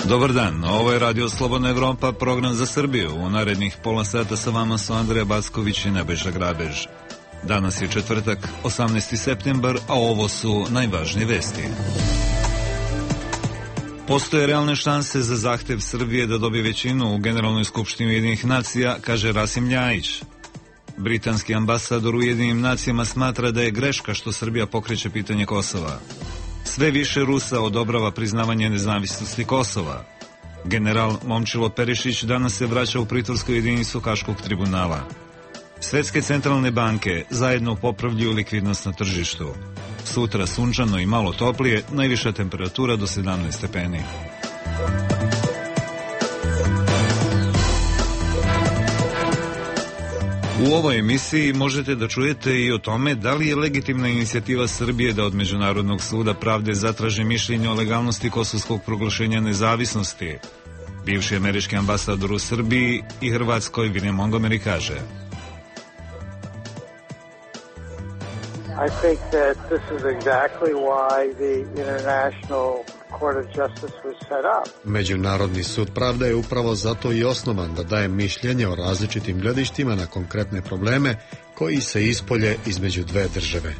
Dobar dan, ovo je Radio Slobodna Evropa, program za Srbiju. U narednih pola sata sa vama su Andreja Backović i Nebojša Grabež. Danas je četvrtak, 18. septembar, a ovo su najvažnije vesti. Postoje realne šanse za zahtev Srbije da dobije većinu u Generalnoj skupštini Ujedinjenih nacija, kaže Rasim Ljajić. Britanski ambasador u Ujedinjenim nacijama smatra da je greška što Srbija pokreće pitanje Kosova. Sve više Rusa odobrava priznavanje nezavisnosti Kosova. General Momčilo Perišić danas se vraća u pritvorsku jedinicu Haškog tribunala. Svetske centralne banke zajedno popravljaju likvidnost na tržištu. Sutra sunčano i malo toplije, najviša temperatura do 17 stepeni. U ovoj emisiji možete da čujete i o tome da li je legitimna inicijativa Srbije da od Međunarodnog suda pravde zatraži mišljenje o legalnosti kosovskog proglašenja nezavisnosti. Bivši američki ambasador u Srbiji i Hrvatskoj William Montgomery kaže: I think that this is exactly why the International Court of Justice was set up. Međunarodni sud pravde je upravo zato i osnovan da daje mišljenje o različitim gledištima na konkretne probleme koji se ispolje između dve države.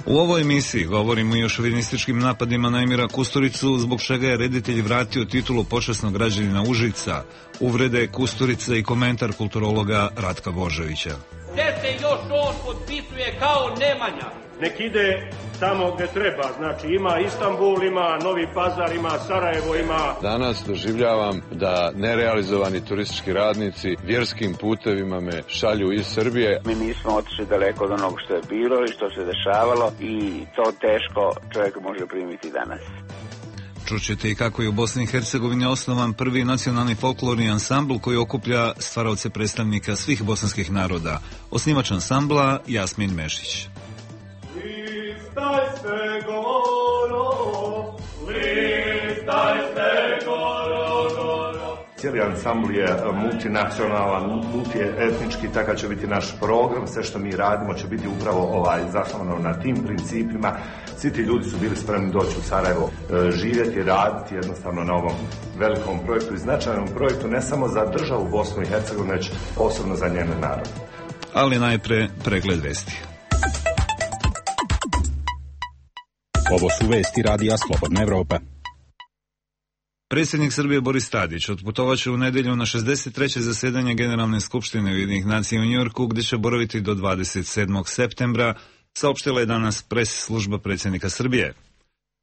U ovoj emisiji govorimo i o šovinističkim napadima na Emira Kusturicu, zbog čega je reditelj vratio titulu počasnog građanina Užica, uvrede Kusturica i komentar kulturologa Ratka Božovića. Gde se još on potpisuje kao Nemanja? Nek ide tamo gde treba, znači ima Istanbul, ima Novi Pazar, ima Sarajevo, ima... Danas doživljavam da nerealizovani turistički radnici vjerskim putevima me šalju iz Srbije. Mi nismo otišli daleko od onog što je bilo i što se dešavalo i to teško čovjek može primiti danas. Čućete i kako je u Bosni i Hercegovini osnovan prvi nacionalni folklorni ansambl koji okuplja stvaraoce predstavnika svih bosanskih naroda. Osnivač ansambla Jasmin Mešić. Cijeli ansambl je multinacionalan, multietnički, takav će biti naš program, sve što mi radimo će biti upravo zasnovano na tim principima. Svi ti ljudi su bili spremni doći u Sarajevo, živjeti, raditi jednostavno na ovom velikom projektu i značajnom projektu, ne samo za državu Bosnu i Hercegovinu, već osobno za njene narode. Ali najpre pregled vesti. Ovo su vesti Radija Slobodna Evropa. Predsjednik Srbije Boris Tadić otputovaće u nedelju na 63. zasedanje Generalne skupštine Ujedinjenih nacija u Njujorku, gdje će boraviti do 27. septembra, saopštila je danas pres služba predsjednika Srbije.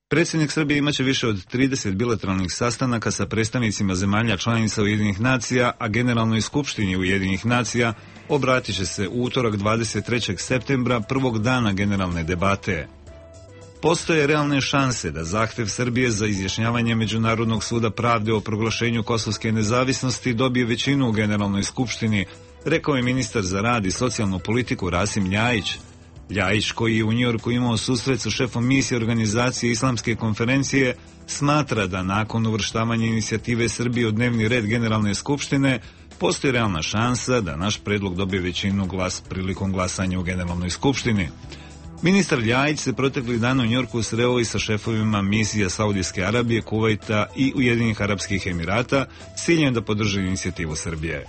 Predsjednik Srbije imaće više od 30 bilateralnih sastanaka sa predstavnicima zemalja članica Ujedinjenih nacija, a Generalnoj skupštini Ujedinjenih nacija obratit će se u utorak 23. septembra, prvog dana generalne debate. Postoje realne šanse da zahtev Srbije za izjašnjavanje Međunarodnog suda pravde o proglašenju kosovske nezavisnosti dobije većinu u Generalnoj skupštini, rekao je ministar za rad i socijalnu politiku Rasim Ljajić. Ljajić, koji je u Njujorku imao susret sa šefom misije organizacije Islamske konferencije, smatra da nakon uvrštavanja inicijative Srbije u dnevni red Generalne skupštine postoji realna šansa da naš predlog dobije većinu prilikom glasanja u Generalnoj skupštini. Ministar Ljajić se proteklih dana u Njujorku sreo i sa šefovima misija Saudijske Arabije, Kuvajta i Ujedinjenih Arapskih Emirata s ciljem da podrži inicijativu Srbije.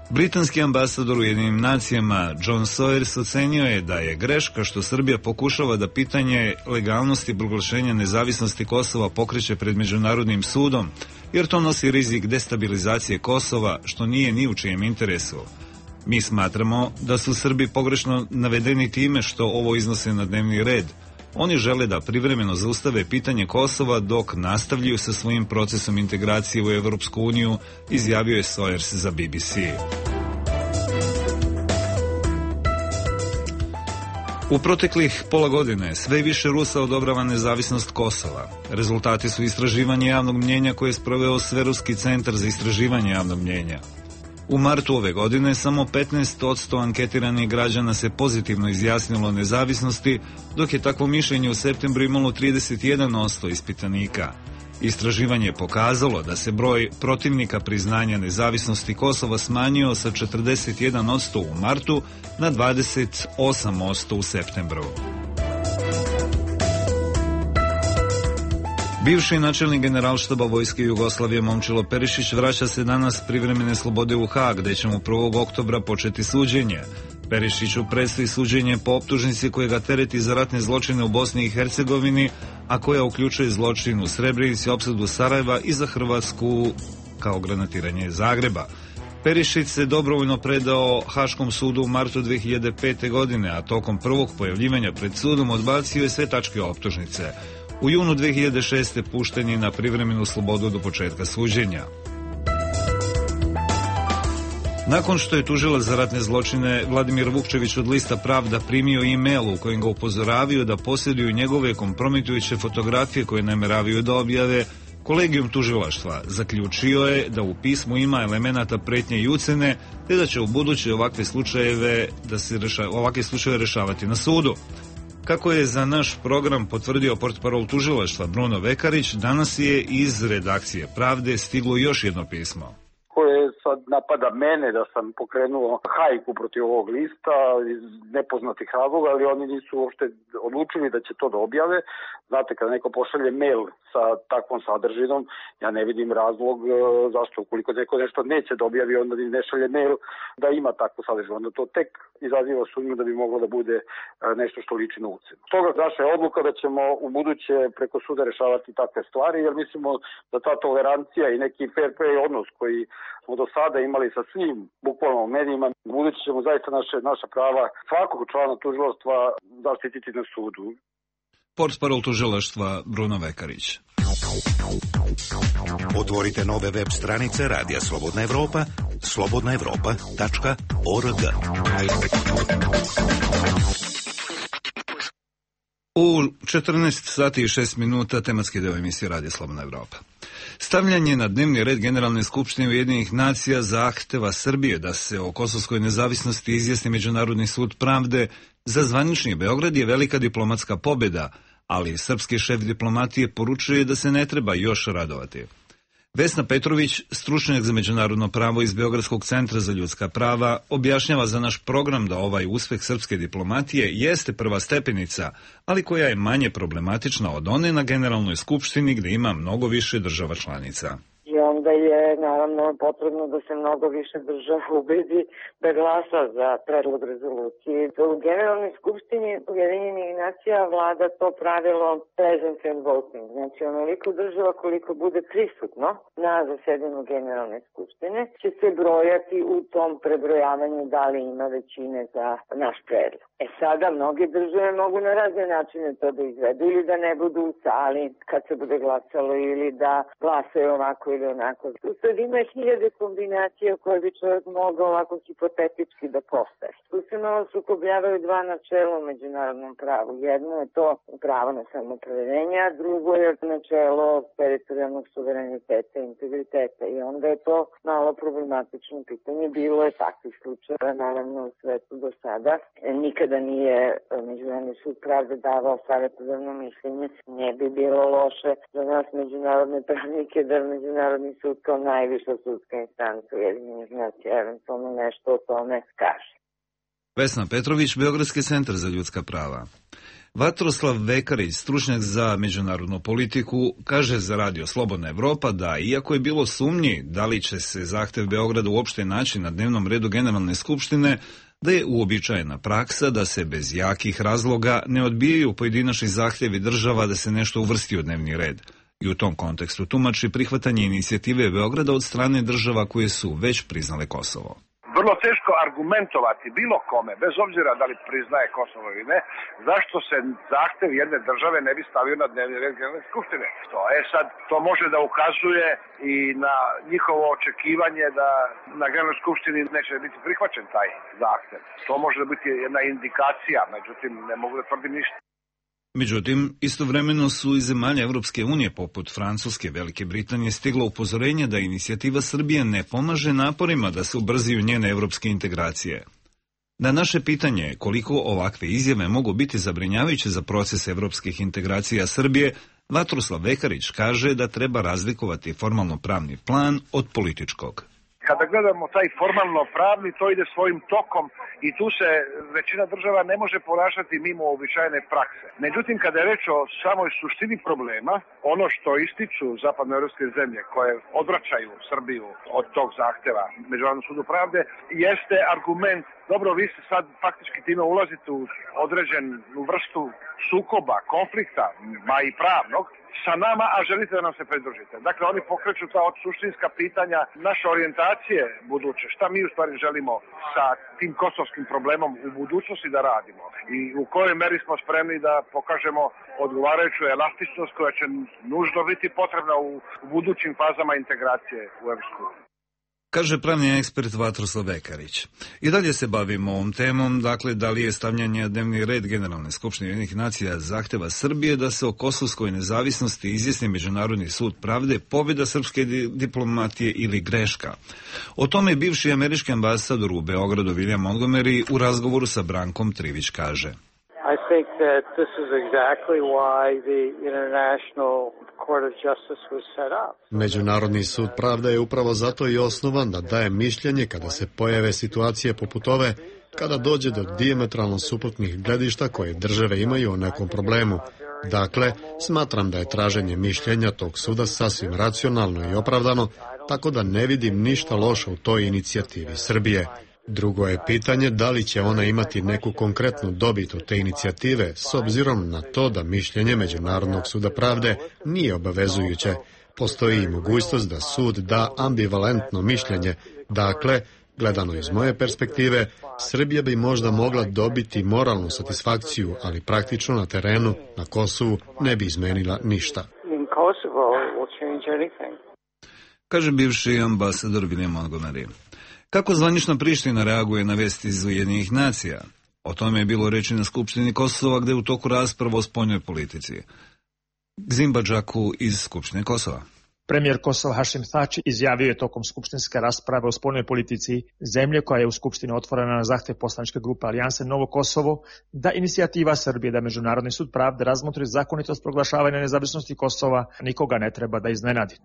Britanski ambasador u Ujedinjenim nacijama John Sawyers ocenio je da je greška što Srbija pokušava da pitanje legalnosti proglašenja nezavisnosti Kosova pokreće pred Međunarodnim sudom, jer to nosi rizik destabilizacije Kosova, što nije ni u čijem interesu. Mi smatramo da su Srbi pogrešno navedeni time što ovo iznose na dnevni red. Oni žele da privremeno zaustave pitanje Kosova dok nastavljaju sa svojim procesom integracije u Evropsku uniju, izjavio je Sawyers za BBC. U proteklih pola godine sve više Rusa odobrava nezavisnost Kosova. Rezultati su istraživanja javnog mnjenja koje je sproveo Sveruski centar za istraživanje javnog mnjenja. U martu ove godine samo 15% anketiranih građana se pozitivno izjasnilo o nezavisnosti, dok je takvo mišljenje u septembru imalo 31% ispitanika. Istraživanje je pokazalo da se broj protivnika priznanja nezavisnosti Kosova smanjio sa 41% u martu na 28% u septembru. Bivši načelnik Generalštaba Vojske Jugoslavije Momčilo Perišić vraća se danas privremene slobode u Haag, gde će mu 1. oktobra početi suđenje. Perišiću predstoji suđenje po optužnici koja ga tereti za ratne zločine u Bosni i Hercegovini, a koja uključuje zločin u Srebrenici, opsadu Sarajeva i za Hrvatsku kao granatiranje Zagreba. Perišić se dobrovoljno predao Haškom sudu u martu 2005. godine, a tokom prvog pojavljivanja pred sudom odbacio je sve tačke optužnice. U junu 2006. pušten je na privremenu slobodu do početka suđenja. Nakon što je tužilac za ratne zločine Vladimir Vukčević od lista Pravda primio e-mail u kojem ga upozoravaju da posjeduju njegove kompromitujuće fotografije koje nameravaju da objave, Kolegijum tužilaštva zaključio je da u pismu ima elemenata pretnje i ucene, te da će u buduće ovakve slučajeve rešavati na sudu. Kako je za naš program potvrdio portparol tužilaštva Bruno Vekarić, danas je iz redakcije Pravde stiglo još jedno pismo. Koje sad napada mene da sam pokrenuo hajku protiv ovog lista iz nepoznatih razloga, ali oni nisu uopšte odlučili da će to da objave. Znate, kada neko pošalje mail sa takvom sadržinom, ja ne vidim razlog zašto, ukoliko neko nešto neće da objavi, onda ne šalje mail da ima takvu sadržinu. Onda to tek izaziva sumnju da bi moglo da bude nešto što liči na ucenu. Stoga naša je odluka da ćemo u buduće preko suda rešavati takve stvari, jer mislimo da ta tolerancija i neki fair play odnos koji smo do sada imali sa svim bukvalno medijima, u buduće ćemo zaista naša prava svakog člana tužilaštva zaštititi na sudu. Portparol tužilaštva Bruno Vekarić. Otvorite nove web stranice Radija Slobodna Evropa, slobodnaevropa.org. U 14 sati i 6 minuta tematski deo emisije Radija Slobodna Evropa. Stavljanje na dnevni red Generalne skupštine Ujedinjenih nacija zahteva Srbije da se o kosovskoj nezavisnosti izjasni Međunarodni sud pravde za zvanični Beograd je velika diplomatska pobjeda, ali srpski šef diplomatije poručuje da se ne treba još radovati. Vesna Petrović, stručnjak za međunarodno pravo iz Beogradskog centra za ljudska prava, objašnjava za naš program da ovaj uspeh srpske diplomatije jeste prva stepenica, ali koja je manje problematična od one na Generalnoj skupštini gdje ima mnogo više država članica. I onda je naravno potrebno da se mnogo više država ubedi da glasa za predlog rezolucije. U Generalnoj skupštini Ujedinjenih nacija vlada to pravilo presence and voting. Znači onoliko država koliko bude prisutno na zasedanju Generalne skupštine će se brojati u tom prebrojavanju da li ima većine za naš predlog. Sada mnoge države mogu na razne načine to da izvedu ili da ne budu u sali kad se bude glasalo ili da glasaju ovako ili onako. Tu sad ima hiljade kombinacija koje bi čovjek mogao ovako hipotetički da postavi. Tu se malo sukobljavaju dva načela u međunarodnom pravu. Jedno je to pravo na samoopredeljenje, a drugo je načelo teritorijalnog suvereniteta i integriteta. I onda je to malo problematično pitanje. Bilo je takvih slučajeva naravno u svetu do sada. Nikada nije Međunarodni sud pravde davao savjetodavno mišljenje. Ne bi bilo loše za nas međunarodne pravnike da Međunarodni sud kao najviša sudska instanca Ujedinjenih nacija eventualno nešto o tome kaže. Vesna Petrović, Beogradski centar za ljudska prava. Vatroslav Vekarić, stručnjak za međunarodnu politiku, kaže za Radio Slobodna Evropa da, iako je bilo sumnji da li će se zahtev Beograda uopšte naći na dnevnom redu Generalne skupštine, da je uobičajena praksa da se bez jakih razloga ne odbijaju pojedinačni zahtjevi država da se nešto uvrsti u dnevni red. I u tom kontekstu tumači prihvatanje inicijative Beograda od strane država koje su već priznale Kosovo. Vrlo teško argumentovati bilo kome, bez obzira da li priznaje Kosovo ili ne, zašto se zahtev jedne države ne bi stavio na dnevni red Generalne skupštine. Sad, to može da ukazuje i na njihovo očekivanje da na Generalnoj skupštini neće biti prihvaćen taj zahtev. To može da biti jedna indikacija, međutim ne mogu da tvrdim ništa. Međutim, istovremeno su iz zemalja Evropske unije poput Francuske, Velike Britanije stiglo upozorenje da inicijativa Srbije ne pomaže naporima da se ubrzaju njene evropske integracije. Na naše pitanje koliko ovakve izjave mogu biti zabrinjavajuće za proces evropskih integracija Srbije, Vatroslav Vekarić kaže da treba razlikovati formalno pravni plan od političkog. Kada gledamo taj formalno pravni, to ide svojim tokom i tu se većina država ne može ponašati mimo uobičajene prakse. Međutim, kada je reč o samoj suštini problema, ono što ističu zapadnoevropske zemlje koje odvraćaju Srbiju od tog zahteva Međunarodnom sudu pravde, jeste argument, dobro, vi se sad faktički time ulazite u određenu vrstu sukoba, konflikta, ma i pravnog, sa nama, a želite da nam se pridružite. Dakle, oni pokreću ta suštinska pitanja naše orijentacije buduće. Šta mi u stvari želimo sa tim kosovskim problemom u budućnosti da radimo i u kojoj meri smo spremni da pokažemo odgovarajuću elastičnost koja će nužno biti potrebna u budućim fazama integracije u EU. Kaže pravni ekspert Vatroslav Vekarić. I dalje se bavimo ovom temom, dakle, da li je stavljanje na dnevni red Generalne skupštine Ujedinjenih nacija zahteva Srbije da se o kosovskoj nezavisnosti izjasni Međunarodni sud pravde, pobjeda srpske diplomatije ili greška. O tome bivši američki ambasador u Beogradu William Montgomery u razgovoru sa Brankom Trivić kaže: I think that this is exactly why the International Court of Justice was set up. Međunarodni sud pravde je upravo zato i osnovan da daje mišljenje kada se pojave situacije poput ove, kada dođe do dijametralno suprotnih gledišta koje države imaju o nekom problemu. Dakle, smatram da je traženje mišljenja tog suda sasvim racionalno i opravdano, tako da ne vidim ništa loše u toj inicijativi Srbije. Drugo je pitanje da li će ona imati neku konkretnu dobit od te inicijative, s obzirom na to da mišljenje Međunarodnog suda pravde nije obavezujuće. Postoji i mogućnost da sud da ambivalentno mišljenje. Dakle, gledano iz moje perspektive, Srbija bi možda mogla dobiti moralnu satisfakciju, ali praktično na terenu, na Kosovu, ne bi izmenila ništa. Kaže bivši ambasador William Montgomery. Kako zvanična Priština reaguje na vesti iz Ujedinjenih nacija? O tome je bilo reči na Skupštini Kosova, gde je u toku rasprava o spoljnoj politici. Gzim Badžaku iz Skupštine Kosova. Premijer Kosova Hašim Tači izjavio je tokom skupštinske rasprave o spoljnoj politici zemlje koja je u Skupštini otvorena na zahtev poslaničke grupe Alijanse Novo Kosovo, da inicijativa Srbije da Međunarodni sud pravde razmotri zakonitost proglašavanja nezavisnosti Kosova nikoga ne treba da iznenadi.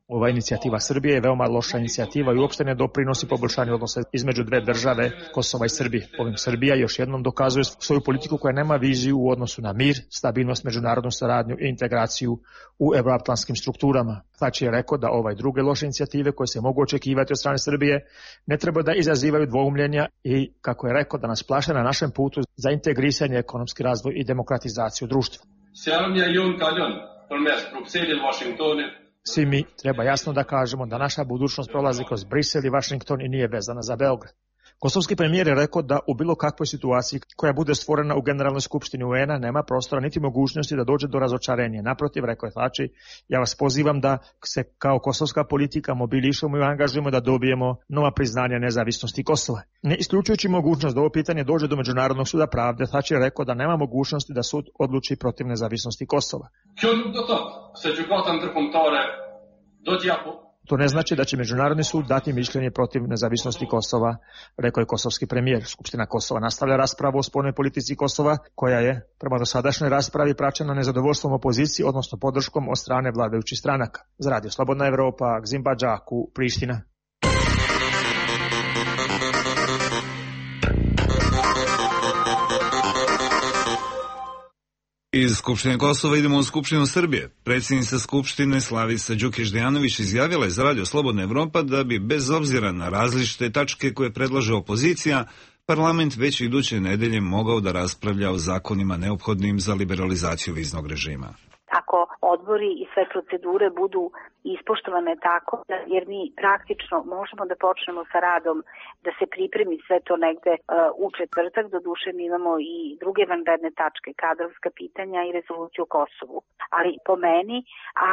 Ova inicijativa Srbije je veoma loša inicijativa i uopšte ne doprinosi poboljšanju odnosa između dve države, Kosova i Srbije. Ovim Srbija još jednom dokazuje svoju politiku koja nema viziju u odnosu na mir, stabilnost, međunarodnu saradnju i integraciju u evroatlantskim strukturama. Tači je rekao da druge loše inicijative koje se mogu očekivati od strane Srbije ne treba da izazivaju dvoumljenja i, kako je rekao, da nas plaše na našem putu za integrisanje, ekonomski razvoj i demokratizaciju društva. Svi mi treba jasno da kažemo da naša budućnost prolazi kroz Brisel i Vašington i nije vezana za Beograd. Kosovski premijer je rekao da u bilo kakvoj situaciji koja bude stvorena u Generalnoj skupštini UN-a nema prostora niti mogućnosti da dođe do razočarenja. Naprotiv, rekao je Tači, ja vas pozivam da se kao kosovska politika mobilišemo i angažujemo da dobijemo nova priznanja nezavisnosti Kosova. Ne isključujući mogućnost da ovo pitanje dođe do Međunarodnog suda pravde, Tači je rekao da nema mogućnosti da sud odluči protiv nezavisnosti Kosova. To ne znači da će Međunarodni sud dati mišljenje protiv nezavisnosti Kosova, rekao je kosovski premijer. Skupština Kosova nastavlja raspravu o spoljnoj politici Kosova, koja je prema dosadašnjoj raspravi praćena nezadovoljstvom opozicije, odnosno podrškom od strane vladajućih stranaka. Za Radio Slobodna Evropa, Gzim Badžaku, Priština. Iz Skupštine Kosova idemo u Skupštinu Srbije. Predsjednica Skupštine Slavica Đukić-Dejanović izjavila je za Radio Slobodna Evropa da bi, bez obzira na različite tačke koje predlaže opozicija, parlament već iduće nedelje mogao da raspravlja o zakonima neophodnim za liberalizaciju viznog režima. Ako odbori i sve procedure budu ispoštovane tako, jer mi praktično možemo da počnemo sa radom, da se pripremi sve to negde u četvrtak. Doduše mi imamo i druge vanredne tačke, kadrovska pitanja i rezoluciju o Kosovu. Ali po meni,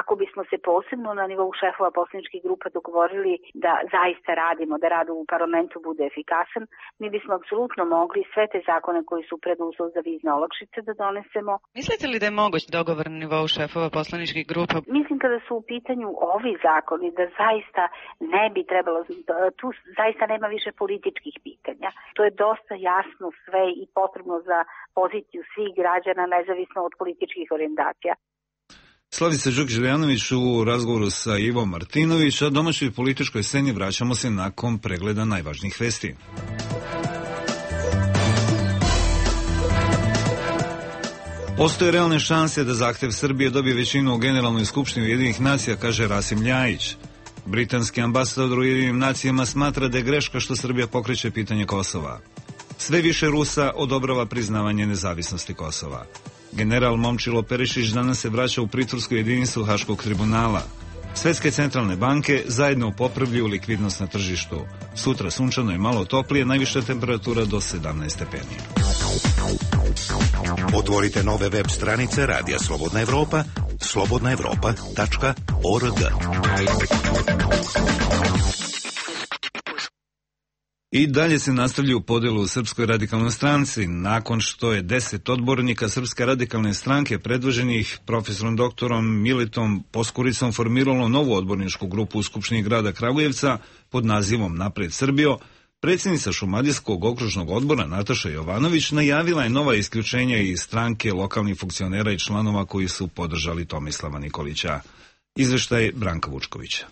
ako bismo se posebno na nivou šefova poslaničkih grupa dogovorili da zaista radimo, da rad u parlamentu bude efikasan, mi bismo apsolutno mogli sve te zakone koji su preduslov za vizne olakšice da donesemo. Mislite li da je moguć dogovor na nivou šefova poslaničkih grupa? Mislim kada su u pitanju ovi zakoni da zaista ne bi trebalo, tu zaista nema više političkih pitanja. To je dosta jasno sve i potrebno za poziciju svih građana nezavisno od političkih orijentacija. Slavica Đukić-Dejanović u razgovoru sa Ivom Martinović, a domaćoj političkoj sceni vraćamo se nakon pregleda najvažnijih vesti. Postoje realne šanse da zahtev Srbije dobije većinu u Generalnoj skupštini Ujedinjenih nacija, kaže Rasim Ljajić. Britanski ambasador u Ujedinjenim nacijama smatra da je greška što Srbija pokreće pitanje Kosova. Sve više Rusa odobrava priznavanje nezavisnosti Kosova. General Momčilo Perišić danas se vraća u pritvorsku jedinicu Haškog tribunala. Svetske centralne banke zajedno popravljaju likvidnost na tržištu. Sutra sunčano i malo toplije, najviša temperatura do 17 stepeni. Otvorite nove web stranice Radija Slobodna Evropa, slobodnaevropa.org. I dalje se nastavljaju podelu u Srpskoj radikalnoj stranci, nakon što je 10 odbornika Srpske radikalne stranke predvoženih profesorom doktorom Miletom Poskuricom formiralo novu odborničku grupu u Skupštini grada Kragujevca pod nazivom Napred Srbijo. Predsjednica Šumadijskog okružnog odbora Nataša Jovanović najavila je nova isključenja iz stranke lokalnih funkcionera i članova koji su podržali Tomislava Nikolića. Izveštaj Branka Vučkovića.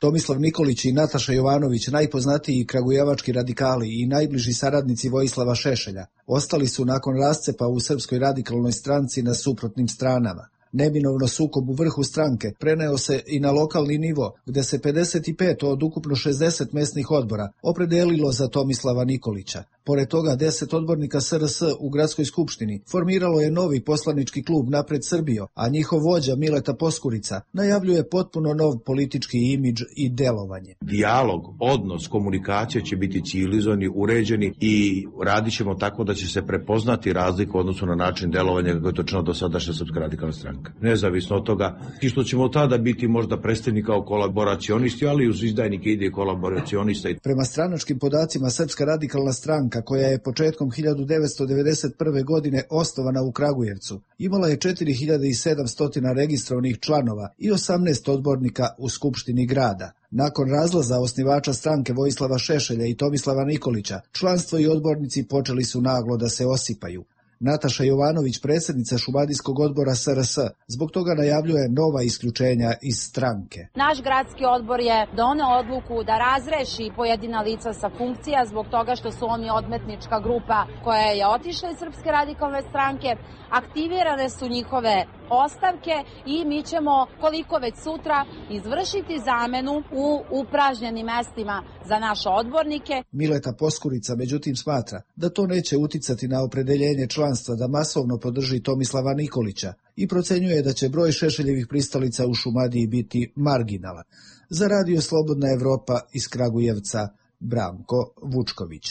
Tomislav Nikolić i Nataša Jovanović, najpoznatiji kragujevački radikali i najbliži saradnici Vojislava Šešelja, ostali su nakon rascepa u Srpskoj radikalnoj stranci na suprotnim stranama. Neminovno sukob u vrhu stranke preneo se i na lokalni nivo, gde se 55 od ukupno 60 mesnih odbora opredelilo za Tomislava Nikolića. Pored toga, 10 odbornika SRS u gradskoj skupštini formiralo je novi poslanički klub Napred Srbijo, a njihov vođa Mileta Poskurica najavljuje potpuno nov politički imidž i delovanje. Dijalog, odnos, komunikacija će biti civilizovani, uređeni i radit ćemo tako da će se prepoznati razlika u odnosu na način delovanja kako je to činila do sadašnja Srpska radikalna stranka. Nezavisno od toga i što ćemo tada biti možda predstavljeni kao kolaboracionisti, ali uz izdajnike ide kolaboracionista. Prema stranačkim podacima, Srpska radikalna stranka, koja je početkom 1991. godine osnovana u Kragujevcu, imala je 4700 registrovanih članova i 18 odbornika u Skupštini grada. Nakon razlaza osnivača stranke Vojislava Šešelja i Tomislava Nikolića, članstvo i odbornici počeli su naglo da se osipaju. Nataša Jovanović, predsjednica Šumadijskog odbora SRS, zbog toga najavljuje nova isključenja iz stranke. Naš gradski odbor je doneo odluku da razreši pojedina lica sa funkcija zbog toga što su oni odmetnička grupa koja je otišla iz Srpske radikalne stranke. Aktivirane su njihove ostavke i mi ćemo, koliko već sutra, izvršiti zamenu u upražnjenim mestima za naše odbornike. Mileta Poskurica međutim smatra da to neće uticati na opredeljenje članstva da masovno podrži Tomislava Nikolića i procenjuje da će broj Šešeljevih pristalica u Šumadiji biti marginalan. Za Radio Slobodna Evropa iz Kragujevca, Branko Vučković.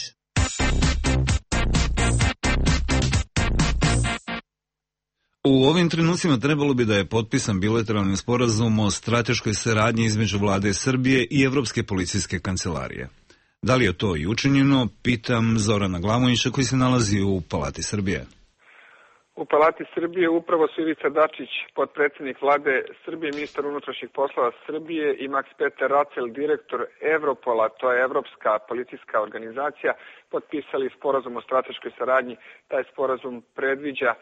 U ovim trenucima trebalo bi da je potpisan bilateralni sporazum o strateškoj saradnji između vlade Srbije i Evropske policijske kancelarije. Da li je to i učinjeno, pitam Zorana Glamovića koji se nalazi u Palati Srbije. U Palati Srbije upravo su Ivica Dačić, potpredsjednik vlade Srbije, ministar unutrašnjih poslova Srbije i Max Peter Racel, direktor Evropola, to je Evropska policijska organizacija, potpisali sporazum o strateškoj saradnji. Taj sporazum predviđa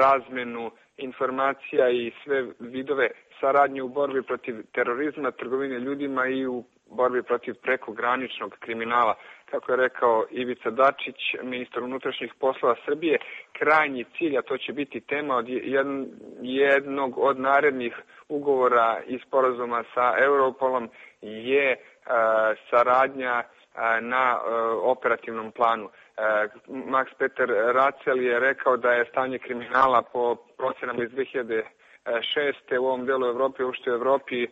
razmenu informacija i sve vidove saradnje u borbi protiv terorizma, trgovine ljudima i u borbi protiv prekograničnog kriminala. Kako je rekao Ivica Dačić, ministar unutrašnjih poslova Srbije, krajnji cilj, a to će biti tema od jednog od narednih ugovora i sporazuma sa Europolom, je saradnja na operativnom planu. Max Peter Racel je rekao da je stanje kriminala po procenama iz 2006. u ovom delu Evrope, uopšte u Evropi,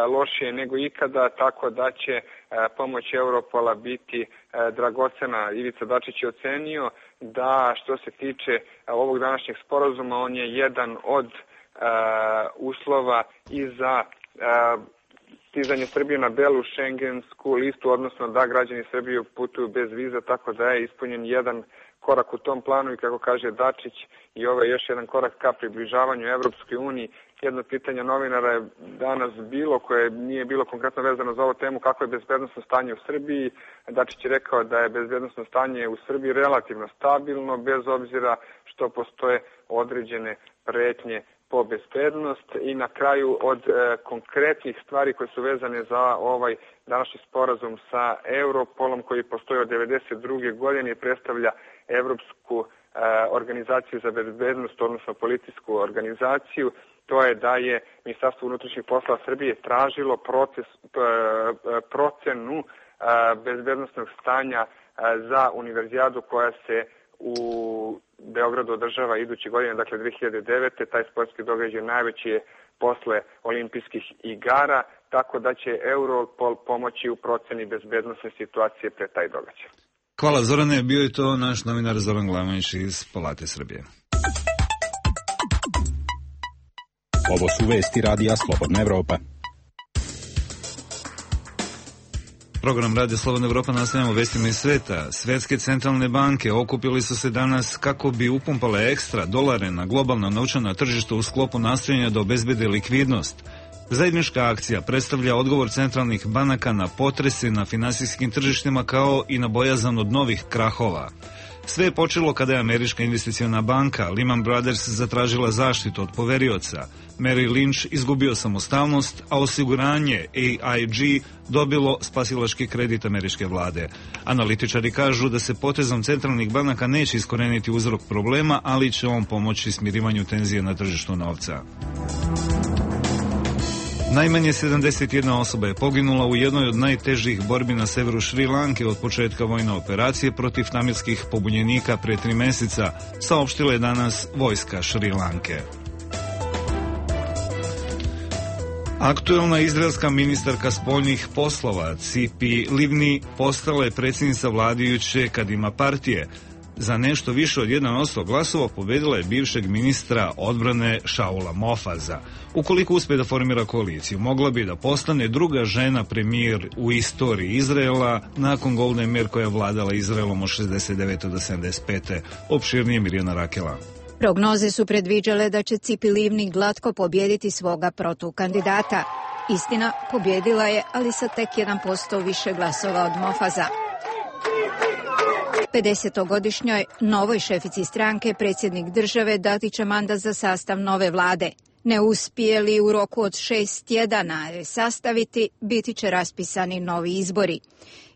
lošije nego ikada, tako da će pomoć Europola biti dragocena. Ivica Dačić je ocenio da što se tiče ovog današnjeg sporazuma, on je jedan od uslova i za stizanje Srbije na belu šengensku listu, odnosno da građani Srbije putuju bez viza, tako da je ispunjen jedan korak u tom planu i kako kaže Dačić i ovo je još jedan korak ka približavanju Evropskoj uniji. Jedno pitanje novinara je danas bilo, koje nije bilo konkretno vezano za ovu temu, kako je bezbednosno stanje u Srbiji. Dačić je rekao da je bezbednosno stanje u Srbiji relativno stabilno, bez obzira što postoje određene pretnje po bezbednost i na kraju od konkretnih stvari koje su vezane za ovaj današnji sporazum sa Europolom koji postoji od 1992. godine i predstavlja Evropsku organizaciju za bezbednost, odnosno policijsku organizaciju. To je da je Ministarstvo unutrašnjih poslova Srbije tražilo procenu bezbednostnog stanja za univerzijadu koja se u Beogradu održava iduće godine, dakle 2009. Taj sportski događaj najveći je posle olimpijskih igara, tako da će Europol pomoći u proceni bezbednosne situacije pre taj događaj. Hvala Zorane, bio je to naš novinar Zoran Glavanić iz Palate Srbije. Ovo su vesti radija Slobodna Evropa. Program Radija Slobodna Evropa nastavljamo vestima iz sveta. Svetske centralne banke okupili su se danas kako bi upumpale ekstra dolare na globalna novčana tržišta u sklopu nastojanja da obezbede likvidnost. Zajednička akcija predstavlja odgovor centralnih banaka na potrese na finansijskim tržištima kao i na bojazan od novih krahova. Sve je počelo kada je američka investiciona banka Lehman Brothers zatražila zaštitu od poverioca. Merrill Lynch izgubio samostalnost, a osiguranje AIG dobilo spasilački kredit američke vlade. Analitičari kažu da se potezom centralnih banaka neće iskoreniti uzrok problema, ali će on pomoći smirivanju tenzije na tržištu novca. Najmanje 71 osoba je poginula u jednoj od najtežih borbi na severu Šri Lanke od početka vojne operacije protiv tamilskih pobunjenika pre 3 meseca, saopštila je danas vojska Šri Lanke. Aktuelna izraelska ministarka spoljnih poslova Cipi Livni postala je predsjednica vladajuće Kadima partije. Za nešto više od 1% glasova pobedila je bivšeg ministra odbrane Šaula Mofaza. Ukoliko uspe da formira koaliciju, mogla bi da postane druga žena premijer u istoriji Izraela nakon Golde Meir koja je vladala Izraelom od 69. do 75. Opširnije Mirjana Rakela. Prognoze su predviđale da će Cipi Livni glatko pobjediti svoga protukandidata. Istina, pobjedila je, ali sa tek 1% više glasova od Mofaza. 50-godišnjoj novoj šefici stranke predsjednik države dati će mandat za sastav nove vlade. Ne uspije li u roku od 6 tjedana sastaviti, biti će raspisani novi izbori.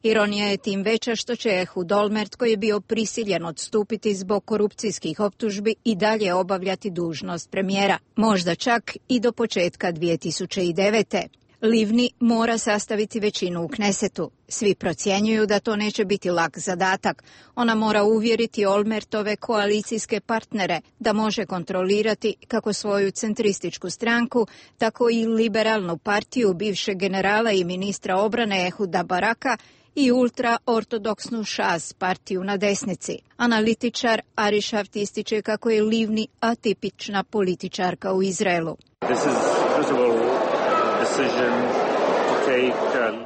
Ironija je tim veća što će Ehud Olmert, koji je bio prisiljen odstupiti zbog korupcijskih optužbi, i dalje obavljati dužnost premijera. Možda čak i do početka 2009. Livni mora sastaviti većinu u Knesetu. Svi procjenjuju da to neće biti lak zadatak. Ona mora uvjeriti Olmertove koalicijske partnere da može kontrolirati kako svoju centrističku stranku, tako i liberalnu partiju bivšeg generala i ministra obrane Ehuda Baraka i ultraortodoksnu Šas partiju na desnici. Analitičar Ari Šaft ističe kako je Livni atipična političarka u Izraelu.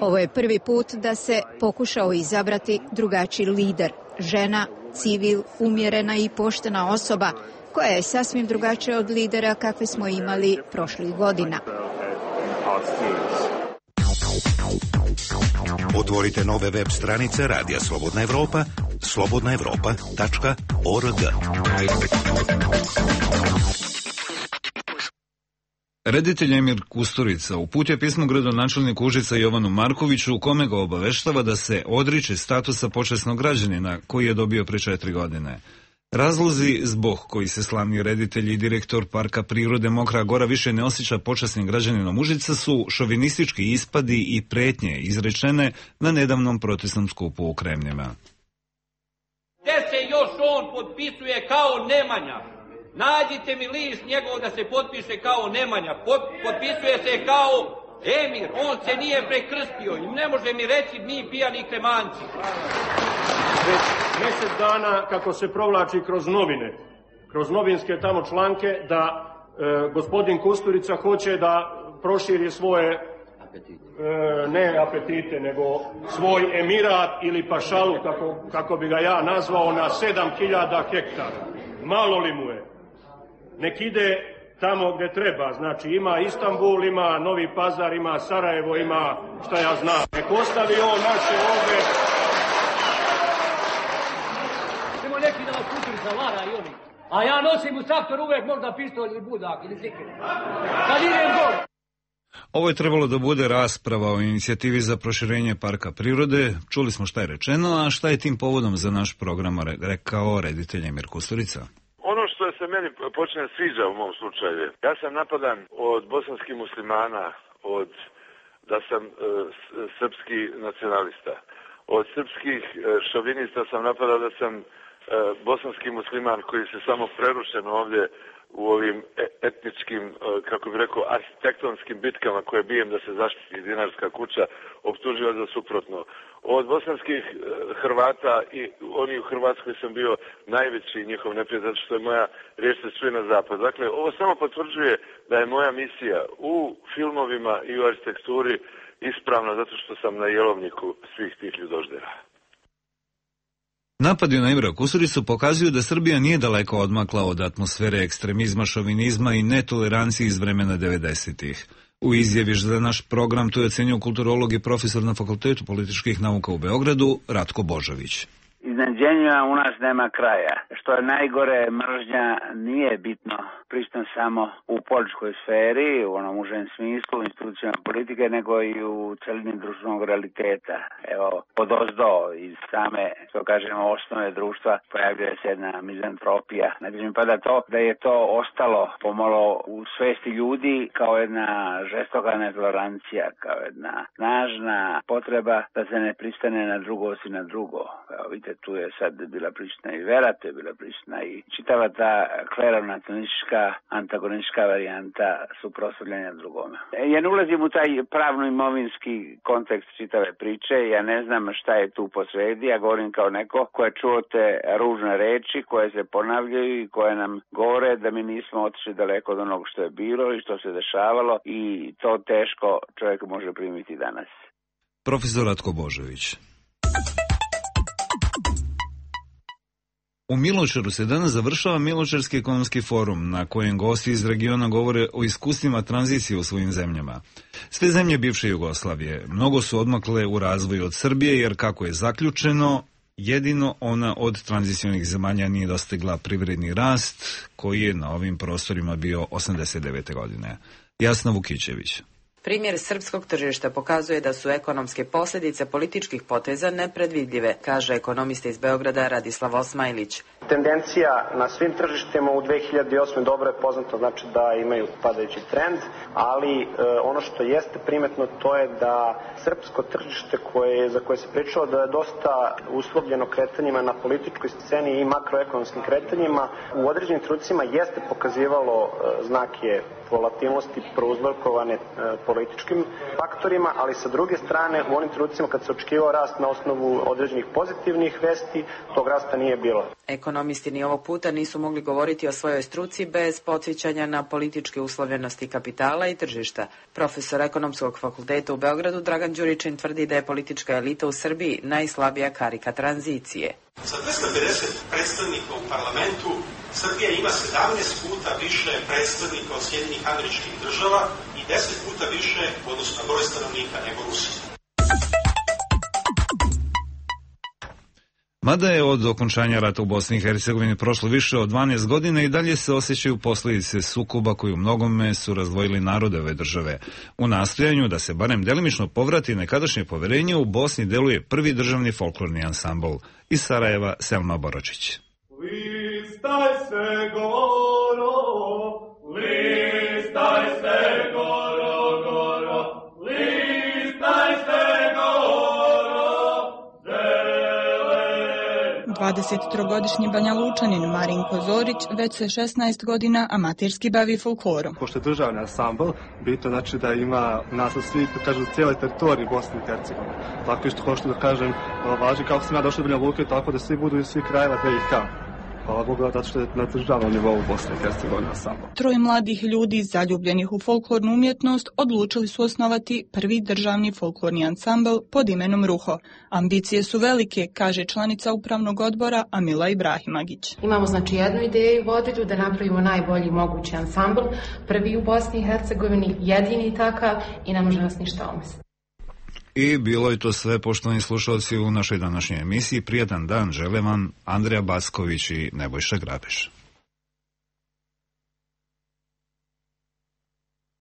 Ovo je prvi put da se pokušao izabrati drugačiji lider, žena, civil, umjerena i poštena osoba, koja je sasvim drugačija od lidera kakve smo imali prošlih godina. Otvorite nove web stranice Radija Slobodna Evropa, slobodnaevropa.org. Reditelj Emir Kusturica uputio pismo gradonačelniku Užica Jovanu Markoviću u kome ga obaveštava da se odriče statusa počasnog građanina koji je dobio pre 4 godine. Razlozi zbog koji se slavni reditelj i direktor Parka prirode Mokra Gora više ne osjeća počasnim građaninom Užica su šovinistički ispadi i pretnje izrečene na nedavnom protestnom skupu u Kremljima. Gde se još on potpisuje kao Nemanja? Nađite mi list njegov da se potpiše kao Nemanja. Potpisuje se kao Emir. On se nije prekrstio i ne može mi reći mi pijani kremanci. Već mjesec dana kako se provlači kroz novine, kroz novinske tamo članke da gospodin Kusturica hoće da proširi svoje ne apetite, nego svoj emirat ili pašalu, kako bi ga ja nazvao, na 7.000 hektara. Malo li mu je? Nek ide tamo gde treba, znači ima Istanbul, ima Novi Pazar, ima Sarajevo, ima šta ja znam. Nek ostavi on naše ovde. Nemo neki da vas Kusturica vara i oni. A ja nosim u traktor uvek možda pištolj ili budak ili sikiru. Kad idem gol. Ovo je trebalo da bude rasprava o inicijativi za proširenje parka prirode. Čuli smo šta je rečeno, a šta je tim povodom za naš program rekao reditelj Emir Kusturica. Ono što se meni počne sviđa u mom slučaju, ja sam napadan od bosanskih muslimana, od da sam srpski nacionalista. Od srpskih šovinista sam napadao da sam bosanski musliman koji se samo prerušen ovdje u ovim etničkim, kako bih rekao, arhitektonskim bitkama koje bijem da se zaštiti Dinarska kuća, optuživa za suprotno. Od bosanskih Hrvata i oni u Hrvatskoj sam bio najveći njihov neprijatelj, zato što je moja riječ se čuje na zapad. Dakle, ovo samo potvrđuje da je moja misija u filmovima i u arhitekturi ispravna zato što sam na jelovniku svih tih ljudoždera. Napadi na Emira Kusturicu pokazuju da Srbija nije daleko odmakla od atmosfere ekstremizma, šovinizma i netolerancije iz vremena 90-ih. U izjavi za naš program to je ocenio kulturolog i profesor na Fakultetu političkih nauka u Beogradu Ratko Božović. Iznenađenjima u nas nema kraja. Što je najgore, mržnja nije bitno prisutna samo u političkoj sferi, u onom užem smislu, institucijama politike, nego i u celini društvenog realiteta. Evo, odozdo iz same, što kažemo, osnove društva pojavljuje se jedna mizantropija. Znači mi pada to da je to ostalo pomalo u svesti ljudi kao jedna žestoka netolerancija, kao jedna snažna potreba da se ne pristane na drugost i na drugo. Evo, vidite, tu je sad bila prisutna i vera, tu je bila prisutna i čitava ta kleronacionistička, antagonistička varijanta suprotstavljanja drugome. Ja ne ulazim u taj pravno-imovinski kontekst čitave priče, ja ne znam šta je tu posredi, ja govorim kao neko ko je čuo te ružne reči koje se ponavljaju i koje nam govore da mi nismo otišli daleko od onog što je bilo i što se dešavalo i to teško čovjek može primiti danas. Profesor Ratko Božović. U Miločaru se danas završava Miločarski ekonomski forum, na kojem gosti iz regiona govore o iskustvima tranzicije u svojim zemljama. Sve zemlje bivše Jugoslavije mnogo su odmakle u razvoju od Srbije, jer kako je zaključeno, jedino ona od tranzicionih zemalja nije dostigla privredni rast, koji je na ovim prostorima bio 89. godine. Jasna Vukićević. Primjer srpskog tržišta pokazuje da su ekonomske posljedice političkih poteza nepredvidljive, kaže ekonomista iz Beograda Radislav Osmajlić. Tendencija na svim tržištima u 2008. dobro je poznato, znači da imaju padajući trend, ali ono što jeste primetno to je da srpsko tržište za koje se pričalo da je dosta uslovljeno kretanjima na političkoj sceni i makroekonomskim kretanjima, u određenim trenucima jeste pokazivalo znake volatilnosti prouzrokovane političkim faktorima, ali sa druge strane u onim trenucima kad se očekivao rast na osnovu određenih pozitivnih vesti, tog rasta nije bilo. Ekonomisti ni ovog puta nisu mogli govoriti o svojoj struci bez podsjećanja na političke uslovljenosti kapitala i tržišta. Profesor Ekonomskog fakulteta u Beogradu Dragan Đuričin tvrdi da je politička elita u Srbiji najslabija karika tranzicije. Sa 250 predstavnika u parlamentu Srbija ima 17 puta više predstavnika od Sjedinjenih Američkih Država i 10 puta više, odnosno broj stanovnika, nego Rusija. Mada je od okončanja rata u Bosni i Hercegovini prošlo više od 12 godina i dalje se osjećaju posljedice sukoba koji u mnogome su razdvojili narode ove države. U nastojanju da se barem delimično povrati nekadašnje poverenje u Bosni deluje prvi državni folklorni ansambl. Iz Sarajeva Selma Boročić. Listaj se goro, listaj se goro, goro, listaj se goro, zelen. 23-godišnji Banja Lučanin Marinko Zorić već se 16 godina amaterski bavi folklorom. Pošto je državni ansambl, bitno znači da ima naslov svi, kažu, cijele teritorije Bosne i Hercegovine. Tako isto hoću da kažem, važi kako sam ja došao do Banja Luke, tako da svi budu iz svih krajeva BiH. Hvala Bogu, zato što je na državnom nivou Bosne i Hercegovine samo. Troje mladih ljudi zaljubljenih u folklornu umjetnost odlučili su osnovati prvi državni folklorni ansambl pod imenom Ruho. Ambicije su velike, kaže članica upravnog odbora Amila Ibrahimagić. Imamo znači jednu ideju vodilju da napravimo najbolji mogući ansambl, prvi u Bosni i Hercegovini, jedini takav i ne može nas ništa omesti. I bilo je to sve, poštovani slušalci, u našoj današnjoj emisiji. Prijatan dan žele vam Andrija Backović i Nebojša Grabeš.